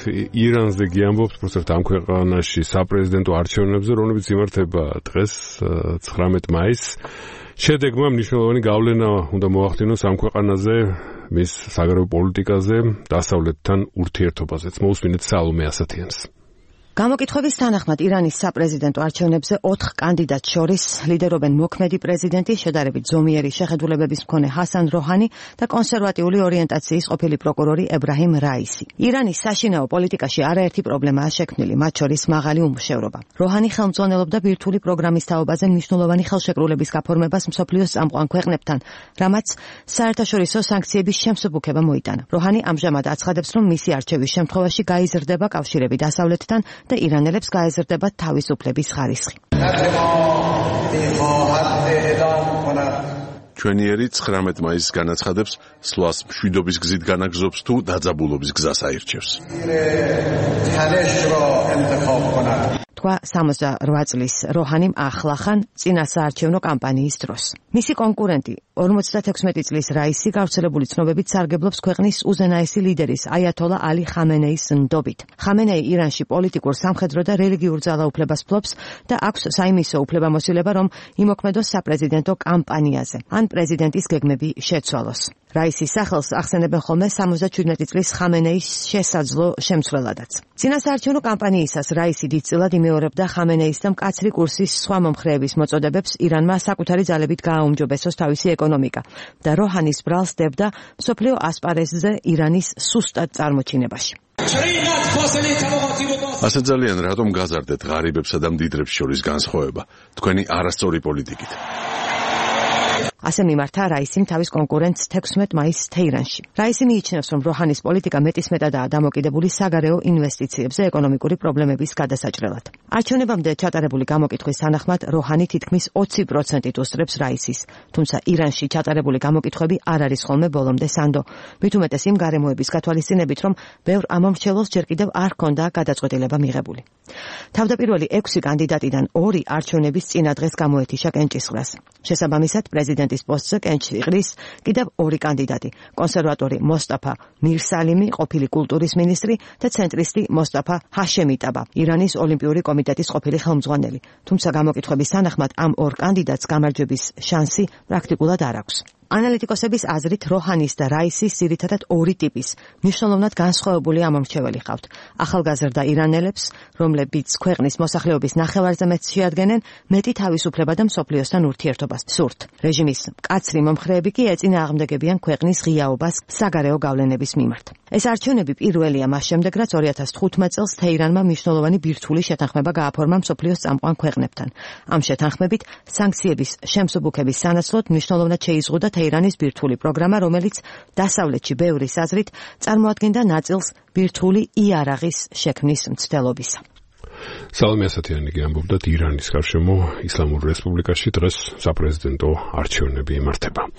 ირანზე გიამბობთ, უბრალოდ ამ ქვეყანაში საპრეზიდენტო არჩევნებზე, რომლებიც იმართება დღეს 19 მაისს. შედეგმა მნიშვნელოვანი გავლენა უნდა მოახდინოს ამ ქვეყანაზე, მის საგარეო პოლიტიკაზე, დასავლეთთან ურთიერთობაზეც. მოусმინეთ სალომე ასათიანს. გამოკითხვების თანახმად ირანის საპრეზიდენტო არჩევნებზე 4 კანდიდატს შორის ლიდერობენ მოქმედი პრეზიდენტი, შედარებით ზომიერი შეხედულებების მქონე ჰასან როჰანი და კონსერვატიული ორიენტაციის ყოფილი პროკურორი ებრაჰიმ რაისი. ირანის საშინაო პოლიტიკაში არაერთი პრობლემაა შექმნილი, მათ შორის მაღალი უმუშევრობა. როჰანი ხელმძღვანელობდა ბირთვული პროგრამის თაობაზე მნიშვნელოვანი ხელშეკრულების გაფორმებას მსოფლიოს წამყვან ქვეყნებთან, რამაც საერთაშორისო სანქციების შემსუბუქება მოიტანა. როჰანი ამჟამად აცხადებს, რომ მისი არჩევის შემთხვევაში გაიზრდება კავშირები დასავლეთთან და ირანელებს გაეზრდებათ თავისუფლების ხარისხი. ჩვენი ერი 19 მაისს განაცხადებს, სვლას მშვიდობის გზით განაგზობს თუ დაძაბულობის გზას აირჩევს. თქვა 68 წლის როჰანიმ ახლახან წინა საარჩევნო კამპანიის დროს. მისი კონკურენტი 56 წლის რაისი გავრცელებული ცნობებით სარგებლობს ქვეყნის უზენაესი ლიდერის აიათოლა ალი ხამენეის ნდობით. ხამენეი ირანში პოლიტიკურ, სამხედრო და რელიგიურ ძალაუფლებას ფლობს და აქვს საიმისო უფლებამოსილება, რომ იმოქმედოს საპრეზიდენტო კამპანიაზე, ან პრეზიდენტის გეგმები შეცვალოს. რაისის სახელს ახსენებენ ხოლმე 77 წლის ხამენეის შესაძლო შემცვლელადაც. წინა საარჩევნო კამპანიისას რაისი დიდწილად იმეორებდა ხამენეის და მკაცრი კურსის სხვა მომხრეების მოწოდებებს ირანმა საკუთარი ძალებით გააუმჯობესოს თავისი ეკონომიკა და როჰანის ბრალს დებდა მსოფლიო ასპარეზზე ირანის სუსტად წარმოჩინებაში. ასე ძალიან რატომ გაზარდეთ ღარიბებსა და მდიდრებს შორის განსხვავება თქვენი არასწორი პოლიტიკით? ასე მიმართა რაისიმ თავის კონკურენტს 16 მაისს თეირანში. რაისი მიიჩნევს, რომ როჰანის პოლიტიკა მეტისმეტადაა დამოკიდებული საგარეო ინვესტიციებზე ეკონომიკური პრობლემების გადასაჭრელად. არჩევნებამდე ჩატარებული გამოკითხვის თანახმად როჰანი თითქმის 20%-ით უსწრებს რაისის, თუმცა ირანში ჩატარებული გამოკითხვები არ არის ხოლმე ბოლომდე სანდო. მით უმეტეს იმ გარემოების გათვალისწინებით, რომ ბევრ ამომრჩევლოს ჯერ კიდევ არ ჰქონდა გადაწყვეტილება მიღებული. თავდაპირველი 6 კანდიდატიდან 2 არჩევნების წინა დღეს გამოეთიშა კენჭისყრას. შესაბამისად, პრეზიდენტის პოსტზე კენჭს იყრის კიდევ 2 კანდიდატი, კონსერვატორი მოსტაფა მირსალიმი, ყოფილი კულტურის მინისტრი და ცენტრისტი მოსტაფა ჰაშემიტაბა, ირანის ოლიმპიური კომიტეტის ყოფილი ხელმძღვანელი. თუმცა გამოკითხვების თანახმად ამ 2 კანდიდატს გამარჯვების შანსი პრაქტიკულად არ აქვს. ანალიტიკოსების აზრით როჰანის და რაისის ძირითადად 2 ტიპის, მნიშვნელოვნად განსხვავებული ამომრჩეველი ჰყავთ. ახალგაზრდა ირანელებს, რომლებიც ქვეყნის მოსახლეობის ნახევარზე მეტს შეადგენენ, მეტი თავისუფლება და მსოფლიოსთან ურთიერთობას სურთ. რეჟიმის მკაცრი მომხრეები კი ეწინააღმდეგებიან ქვეყნის ღიაობას საგარეო გავლენების მიმართ. ეს არჩევნები პირველია მას შემდეგ, რაც 2015 წელს თეირანმა მნიშვნელოვანი ბირთვული შეთანხმება გააფორმა მსოფლიოს წამყვან ქვეყნებთან. ამ შეთანხმებით სანქციების შემსუბუქების სანაცვლოდ მნიშვნელოვნად შეიზღუდა თეირანის ბირთვული პროგრამა, რომელიც დასავლეთში ბევრის აზრით წარმოადგენდა ნაწილს ბირთვული იარაღის შექმნის მცდელობისა. სალომე ასათიანი ამბობდა ირანის გარშემო ისლამურ რესპუბლიკაში დღეს საპრეზიდენტო არჩევნები იმართება.